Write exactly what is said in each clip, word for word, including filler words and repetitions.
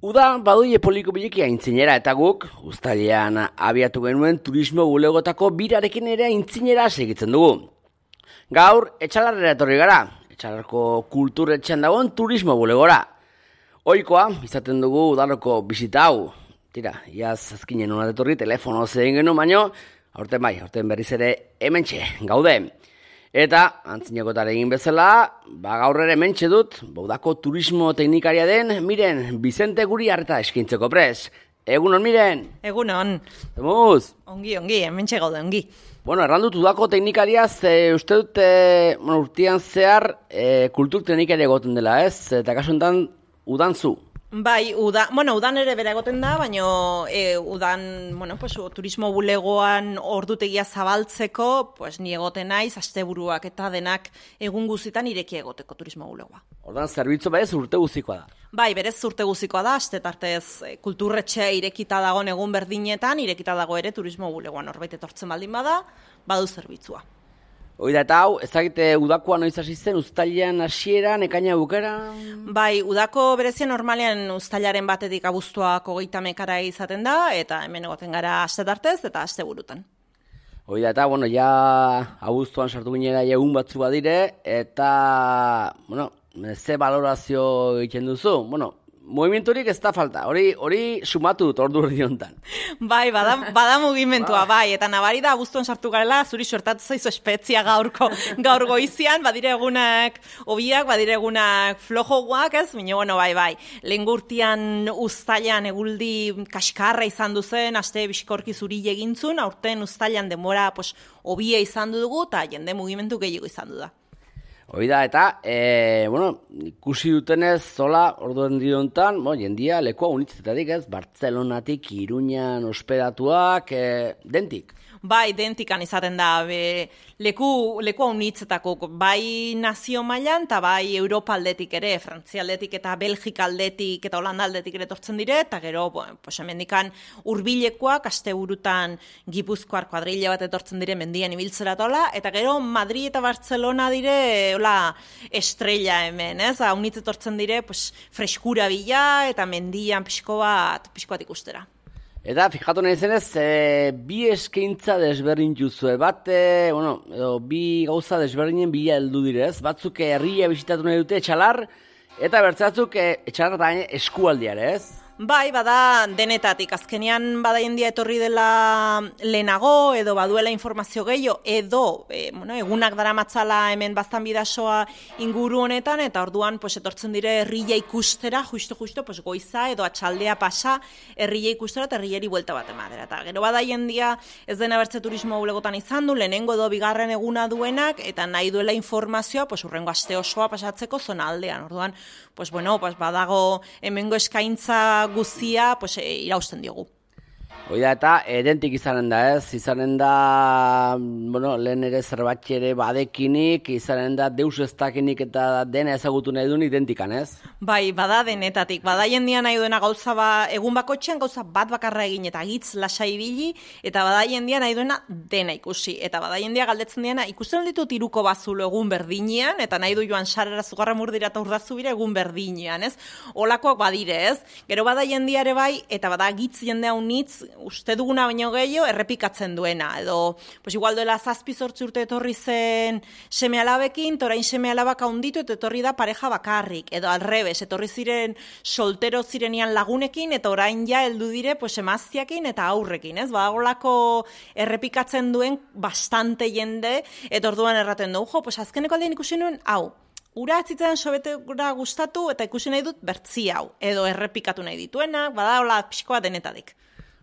Uda baduie poliko bileki aintzinera eta guk, uztailean abiatu genuen turismo bulegotako birarekin ere aintzinera segitzen dugu. Gaur, Etxalarrera etorri gara, Etxalarreko kulturetxean dagoen turismo bulegora. Ohikoa, izaten dugu udaloko bisita hau. Tira, iaz azkinen hona etorri telefono zein genuen baino, aurten bai, aurten berriz ere hementxe, gaude. Eta, antzinakotare egin bezala, ba gaur ere hementxe dut, Baudako turismo teknikaria den, Miren, Bizente guri harreta eskintzeko pres. Egunon, Miren? Egunon. Zemuz? Ongi, ongi, hementxe gaude, ongi. Bueno, errandut Udako teknikariaz, e, uste dut, e, bueno, urtean zehar, e, kultur teknikaria egoten dela, ez? Eta kasu enten, udan zu. Bai, uda, bueno, udan ere bera egoten da, baina e, udan, bueno, pues, turismo bulegoan ordutegia zabaltzeko, pues, ni egoten naiz, asteburuak eta denak egun guzitan ireki egoteko turismo bulegoa. Ordan, zerbitzu berez urte guzikoa da. Bai, berez urte guzikoa da, astetartez kulturretxea irekita dagoen egun berdinetan, irekita dago ere turismo bulegoan norbait etortzen baldin bada, badu zerbitzua. Hoi da eta hau, ez dakite Udakoa noiz hasi zen, uztailean hasieran, ekaina bukera? Bai, Udako berezia normalean uztailaren batetik abuztuak hogeita mekara izaten da, eta hemen egoten gara astetartez eta asteburutan. Hoi da eta, bueno, ja abuztuan sartu ginera egun batzu badire, eta, bueno, ze balorazio egiten duzu? Bueno, movimenturik ez da falta, hori hori sumatu dut ordu erdi honetan. Bai, bada, bada mugimentua, bai, eta nabari da abuztuan sartu garela, zuri suertatu zaizu espezia gaurko, gaur goizian, badire egunak obiak, badire egunak flojoguak, ez? Baina, bueno, bai, bai, lehen gurtian uztailan eguldi kaskarra izan duzen, aste biskorki zuri egintzun, aurten uztailan denbora pues, obia izan dugu, eta jende mugimentu gehiago izan du da. Hoi da, eta, e, bueno, ikusi dutenez, zola, orduen diontan, bo, jendia, lekoa unitzetatik ez, Bartzelonatik, Iruñan ospedatuak, e, dentik. Bai, dentikan izaten da, be, leku, leku haunitzetako, bai nazio mailan, eta bai Europa aldetik ere, Frantzia aldetik eta Belgika aldetik eta Holanda aldetik ere tortzen dire, eta gero, bueno, pues hemendikan hurbilekoak, asteburutan Gipuzkoar kuadrilla bat etortzen dire mendian ibiltzera tola, eta gero Madrid eta Barcelona dire, hola, estrella hemen, ez? Haunitz etortzen dire, pues, freskura bila, eta mendian pixko bat, pixko bat ikustera. Eta, fijatu nahi zenez, e, bi eskaintza desberdin juzue, bat, e, bueno, edo, bi gauza desberdinen bila heldu direz, batzuk herria bisitatu nahi dute Etxalar, eta bertzatzuk e, Etxalar eta eskualdiare, ez? Bai, bada denetatik, azkenean bada jendia etorri dela lehenago, edo baduela informazio gehiago, edo e, bueno, egunak dara matzala hemen baztan bidasoa inguru honetan, eta orduan pues, etortzen dire herria ikustera, justo-justo, pues, goiza edo atxaldea pasa herria ikustera eta herriari buelta bat emadera. Eta gero bada jendia ez dena bertze turismo bulegotan izan du, lehenengo edo bigarren eguna duenak, eta nahi duela informazioa, pues, urrengo aste osoa pasatzeko zona aldean. Orduan, pues, bueno, pues, badago hemengo eskaintza guzia pues, e, irausten diogu. Hoi da, eta edentik izanen da, ez? Izanen da, bueno, lehen ere zerbait ere badekinik, izanen da deus ez dakinik eta dena ezagutu nahi duen identikan, ez? Bai, bada denetatik. Bada jendia nahi duena gauza ba, egun bakotxean gauza bat bakarra egin eta gitz lasai ibili, eta bada jendia nahi duena dena ikusi. Eta bada jendia galdetzen diena, ikusten ditut iruko bazulo egun berdinean, eta nahi du joan sarera zugarra murdira eta urdazu bira egun berdinean, ez? Olakoak badire, ez? Gero bada jendiare bai, eta bada gitz jendea unitz, uste duguna baino gehiago errepikatzen duena, edo pues igual duela zazpi zortzi urte etorri zen seme alabekin, torain seme alabak haunditu eta etorri da pareja bakarrik, edo alrebes, etorri ziren soltero zirenian lagunekin, eta orain ja heldu dire pues, emaztiakin eta aurrekin, ez? Badagolako errepikatzen duen bastante jende, eta orduan erraten du, jo, pues azkeneko aldean ikusi nuen, hau, ura atzitzen sobetera gustatu eta ikusi nahi dut bertzi hau, edo errepikatu nahi dituenak, badagola pixkoa denetatik.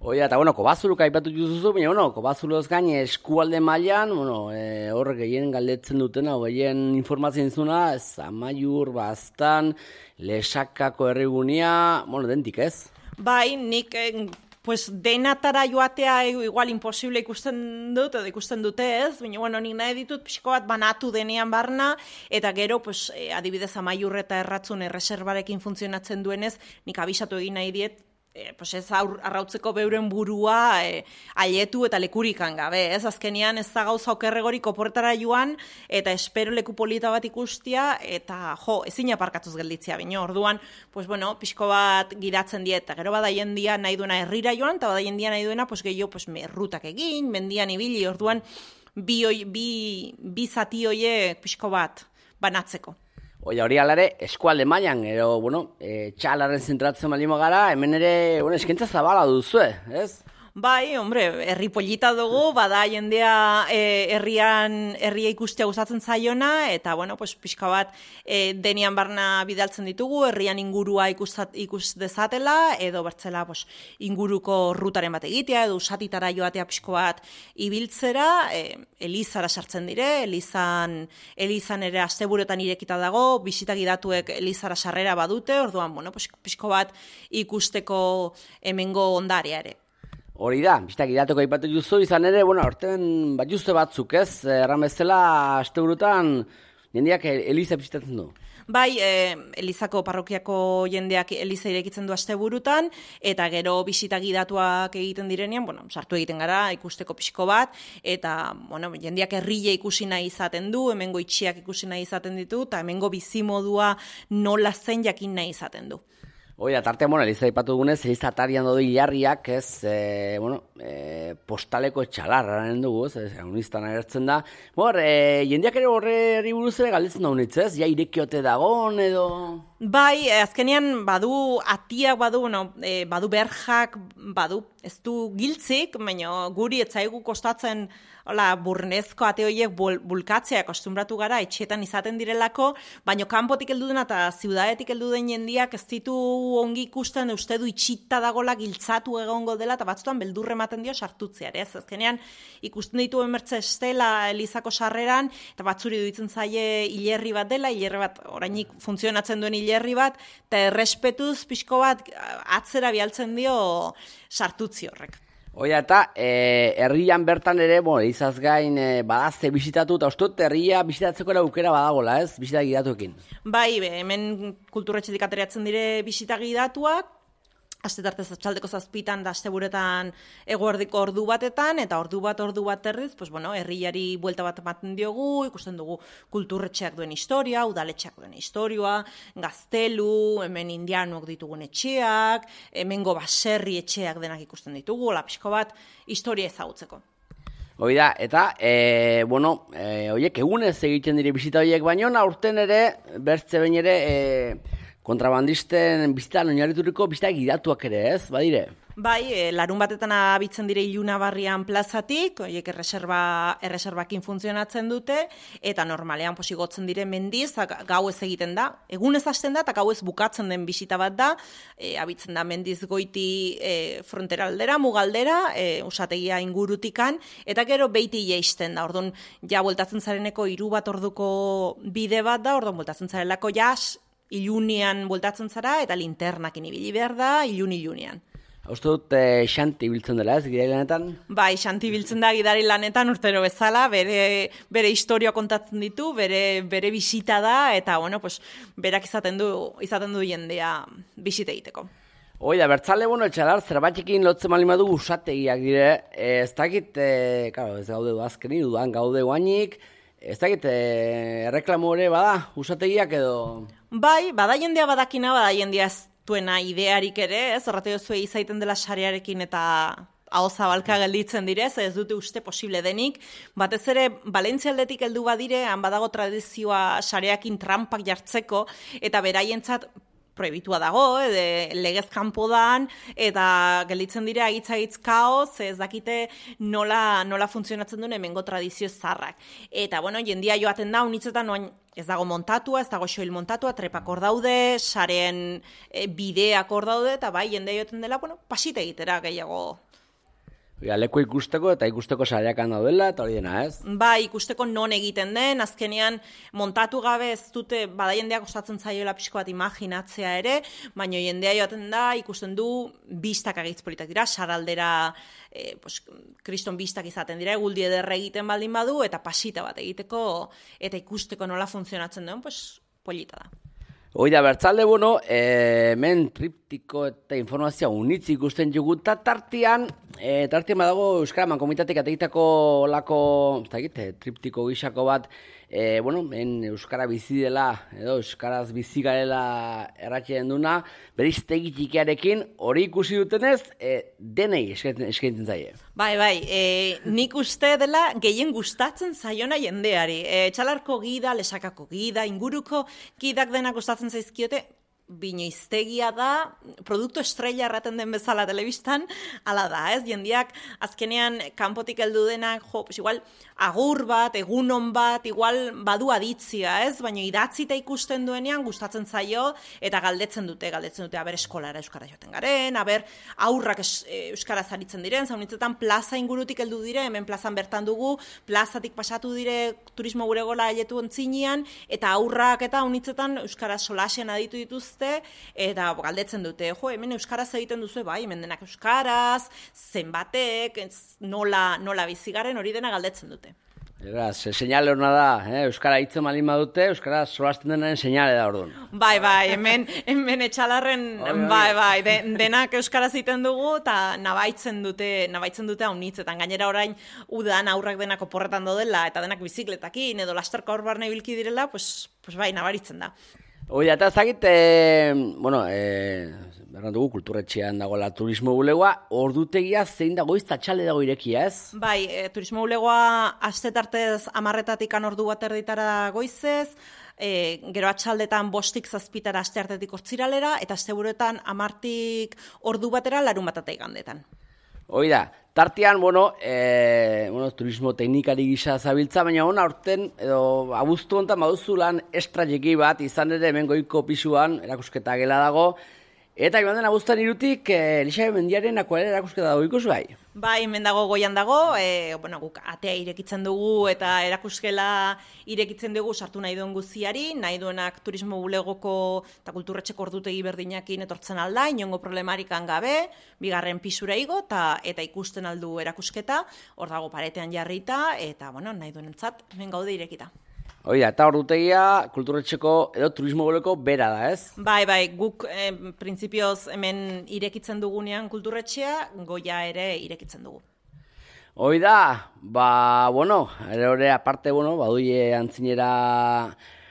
Hoi da, eta, bueno, Kobazuluk aipatu juzuzu, baina, bueno, Kobazuloz gain eskualde mailan, bueno, e, horrek gehien galdetzen dutena, gehien informatzen zuna, ez, Amaiur, Baztan, Lesakako herrigunia, bueno, dentik, ez? Bai, nik... Eh, Pues denatara joatea igual imposible ikusten dut, edo ikusten dute ez, baina bueno, nik nahi ditut pixko bat banatu denean barna, eta gero, pues, adibidez Amaiur eta Erratzun erreserbarekin funtzionatzen duenez, nik abisatu egin nahi diet, E, pues ez aur, arrautzeko beuren burua e, aietu eta lekurikan gabe, ez azkenean ez da gauza okerregorik oporretara joan eta espero leku polita bat ikustia eta jo, ezin aparkatuz gelditzea bino, orduan, pues bueno, pixko bat gidatzen diet, eta gero bada jendia nahi duena herrira joan, eta bada jendia nahi duena, pues gehiago, pues merrutak egin, mendian ibili, orduan, bi, bi, bi zati hoiek pixko bat banatzeko. Oia, hori alare, eskualde mailan, ero, bueno, e, txalaren zentratzen balimo gara, hemen ere, bueno, eskentza zabala duzue, ez? Bai, hombre, herri polita dugu, bada jendea e, herrian herria ikustea gustatzen zaiona, eta, bueno, pues, pixka bat e, denian barna bidaltzen ditugu, herrian ingurua ikustat, ikus dezatela, edo bertzela pues, inguruko rutaren bat egitea, edo usatitara joatea pixko bat ibiltzera, e, Elizara sartzen dire, Elizan, Elizan ere asteburuetan irekita dago, bisita gidatuek Elizara sarrera badute, orduan, bueno, pues, pixko bat ikusteko hemengo ondarea ere. Hori da, bistak idateko aipatu juzu, izan ere, bueno, orten bat juzte batzuk, ez? Erran bezala, asteburutan, jendeak Eliza bisitatzen du. Bai, e, Elizako parrokiako jendeak Eliza irekitzen du asteburutan, eta gero bisita gidatuak egiten direnean, bueno, sartu egiten gara, ikusteko pixko bat, eta, bueno, jendeak herria ikusi nahi izaten du, hemengo itxiak ikusi nahi izaten ditu, eta hemengo bizimodua nola zen jakin nahi izaten du. Hoi, atarte, bueno, Eliza ipatu dugunez, Eliza atarian dodo hilarriak, ez, e, bueno, e, postaleko etxalarraren dugu, ez, unistan agertzen da. Bor, e, jendeak ere horre buruz ere galdetzen da honitz, ez, ja irekiote dagon, edo... Bai, azkenean badu atiak badu, no, e, badu berjak, badu, ez du giltzik, baina guri etzaigu kostatzen hola, burnezko ate horiek bul, bulkatzea kostumbratu gara, etxeetan izaten direlako, baina kanpotik heldu dena eta ziudadetik heldu den jendiak ez ditu ongi ikusten, uste du itxita dagola giltzatu egongo dela, eta batzutan beldurre ematen dio sartutzeare, ez? Azkenean ikusten ditu emertze estela Elizako sarreran, eta batzuri duitzen zaie hilerri bat dela, hilerri bat orainik funtzionatzen duen hilerri bat, eta errespetuz pixko bat atzera bialtzen dio sartutzi horrek. Oia, eta e, herrian bertan ere, bueno, izaz gain e, badazte bisitatu, eta uste dut herria bisitatzeko aukera badagola, ez? Bisita gidatuekin. Bai, be, hemen kulturretxetik ateratzen dire bisita gidatuak, astetartez atxaldeko zazpitan da asteburetan eguerdiko ordu batetan, eta ordu bat, ordu bat erdiz, pues, bueno, herriari buelta bat ematen diogu, ikusten dugu kulturretxeak duen historia, udaletxeak duen historia, gaztelu, hemen indianuak ditugun etxeak, hemengo baserri etxeak denak ikusten ditugu, lapixko bat, historia ezagutzeko. Hoi da, eta, e, bueno, e, oiek egunez egiten dire bisita horiek, baino, aurten ere, bertze behin ere, e, kontrabandisten bizitan oinarrituriko bizita gidatuak ere, ez, badire? Bai, e, larun batetan abitzen dire Ilunabarrian plazatik, horiek erreserba, erreserbakin funtzionatzen dute, eta normalean posigotzen dire mendiz, gau ez egiten da, egun ez hasten da, eta gau ez bukatzen den bisita bat da, e, abitzen da mendiz goiti e, fronteraldera, mugaldera, e, usategia ingurutikan, eta gero beiti jeisten da, orduan, ja, bueltatzen zareneko hiru bat orduko bide bat da, orduan, bueltatzen zarelako jas, ilunian bueltatzen zara, eta linternakin ibili behar da, ilun-ilunean. Uste dut, e, xanti biltzen dela, ez, gidari lanetan? Bai, xanti biltzen da gidari lanetan urtero bezala, bere, bere historia kontatzen ditu, bere, bere bisita da, eta, bueno, pues, berak izaten du, izaten du jendea bisita egiteko. Hoi da, bertzale, bueno, etxalar, zerbatxekin lotzen malimadu usategiak dire, e, ez dakit, e, claro, ez gaude azkeni, dudan gaude guainik, ez dakit, e, erreklamo ere bada, usategiak edo... Bai, bada jendea badakina, bada jendea ez duena idearik ere, ez, errate duzue izaiten dela sarearekin eta hau zabalka gelditzen direz, ez dute uste posible denik, batez ere, Valentzialdetik heldu badire, han badago tradizioa sareakin trampak jartzeko, eta beraientzat prohibitua dago, edo legez kanpo dan, eta gelditzen dira agitz-agitz kaoz, ez dakite nola, nola funtzionatzen duen hemengo tradizio zarrak. Eta, bueno, jendia joaten da, unitzetan oain ez dago montatua, ez dago soil montatua, trepak hor daude, saren e, bideak hor daude, eta bai, jendea joaten dela, bueno, pasite egitera gehiago. Ja, leku ikusteko eta ikusteko sareakan daudela, eta hori dena, ez? Ba, ikusteko non egiten den, azkenean montatu gabe ez dute, bada jendeak osatzen zaioela pixko bat imaginatzea ere, baina jendea joaten da, ikusten du, bistak agitz politak dira, saraldera, e, pues, kriston bistak izaten dira, eguldi ederre egiten baldin badu, eta pasita bat egiteko, eta ikusteko nola funtzionatzen duen, pues, polita da. Hoi da, bertzalde, bueno, e, men triptik triptiko eta informazioa unitz ikusten jugu, eta tartian, e, tartian badago Euskara Mankomitatek ateitako olako, ez da egite, triptiko gixako bat, e, bueno, en Euskara bizi dela, edo Euskaraz bizi garela erratxeen duna, beriztegi txikiarekin, hori ikusi dutenez, e, denei eskaintzen zaie. Bai, bai, e, nik uste dela gehien gustatzen zaiona jendeari. E, txalarko gida, lesakako gida, inguruko gidak denak gustatzen zaizkiote, binoiztegia da, produktu estrella erraten den bezala telebistan, ala da, ez? Jendiak azkenean kanpotik heldu denak, jo, pues igual agur bat, egunon bat, igual badu aditzia, ez? Baina idatzita ikusten duenean gustatzen zaio eta galdetzen dute, galdetzen dute aber eskolara euskara joaten garen, aber aurrak es, e, euskaraz aritzen diren, zaunitzetan plaza ingurutik heldu dire, hemen plazan bertan dugu, plazatik pasatu dire turismo bulegola ailetu ontzinean, eta aurrak eta unitzetan euskaraz solasean aditu dituzte, eta galdetzen dute, jo, hemen euskaraz egiten duzu, bai, hemen denak euskaraz, zenbatek, nola, nola bizigaren, hori dena galdetzen dute. Eraz, seinale horna da, eh? Euskara hitzen malin badute, Euskara solasten denaren seinale da orduan. Bai, bai, hemen, hemen etxalarren, bai, bai, de, denak euskaraz egiten dugu, eta nabaitzen dute, nabaitzen dute haunitzetan. Gainera orain, udan aurrak denak oporretan dodela, eta denak bizikletakin, edo lasterka hor barne bilki direla, pues, pues bai, nabaritzen da. Hoi, eta ez dakit, e, bueno, e, berran dugu, kulturretxean dagoela turismo bulegoa, ordutegia zein dago iztatxalde dago irekia, ez? Bai, e, turismo bulegoa astetartez amarretatik ordu bat erditara goizez, e, gero atxaldetan bostik zazpitara asteartetik hortziralera, eta asteburuetan amartik ordu batera larun batatek gandetan. Hoi da, tartean, bueno, e, bueno, turismo teknikari gisa zabiltza, baina hona aurten, edo abuztu honetan baduzu lan estrajeki bat, izan ere hemen goiko pisuan, erakusketa gela dago, eta joan den abuztan irutik, e, Elixabe Mendiaren akuarela erakusketa dago ikusi bai? Bai, hemen dago goian dago, e, bueno, guk atea irekitzen dugu eta erakuskela irekitzen dugu sartu nahi duen guziari, nahi duenak turismo bulegoko eta kulturretxeko ordutegi berdinakin etortzen alda, inongo problemarikan gabe, bigarren pisura igo eta, eta ikusten aldu erakusketa, hor dago paretean jarrita, eta bueno, nahi duenentzat hemen gaude irekita. Hoi da, eta ordutegia kulturretxeko edo turismo bulegoko bera da, ez? Bai, bai, guk eh, printzipioz hemen irekitzen dugunean kulturretxea, goia ere irekitzen dugu. Hoi da, ba, bueno, ere hori aparte, bueno, baduie antzinera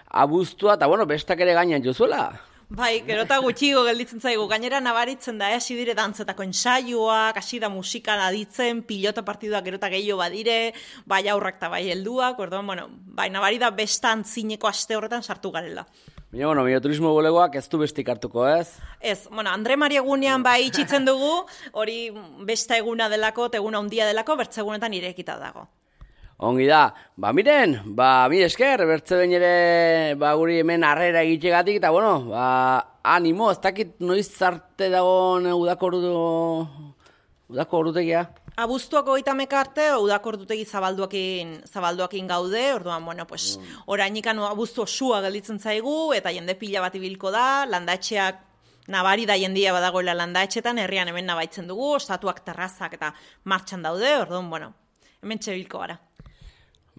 abuztua, eta bueno, bestak ere gainan jozuela. Bai, gero eta gutxigo gelditzen zaigu, gainera nabaritzen da, hasi dire dantzetako ensaioak, hasi da musikan aditzen, pilota partiduak gero eta gehiago badire, bai aurrak eta bai helduak, orduan, bueno, bai nabari da bestan zineko aste horretan sartu garela. Baina, bueno, mio turismo bulegoak ez du bestik hartuko, ez? Ez, bueno, Andre Maria egunean bai itxitzen dugu, hori besta eguna delako, eguna handia delako, bertzegunetan irekita dago. Ongi da, ba miren, ba mi esker, bertze behin ere ba, guri hemen harrera egitegatik, eta bueno, ba, animo, ez dakit noiz arte dagoen udako udako ordutegia. Abuztuako goita mekarte, udako ordutegi zabalduakin, zabalduakin gaude, orduan, bueno, pues, mm. orainikan abuztu osua gelditzen zaigu, eta jende pila bat ibilko da, landatxeak nabari da jendia badagoela landatxetan, herrian hemen nabaitzen dugu, ostatuak terrazak eta martxan daude, orduan, bueno, hemen txebilko gara.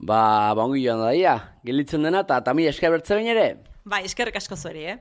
Ba, ba ongi joan da dia, gelitzen dena, eta tami esker bertze behin ere? Bai, eskerrik asko zueri, eh?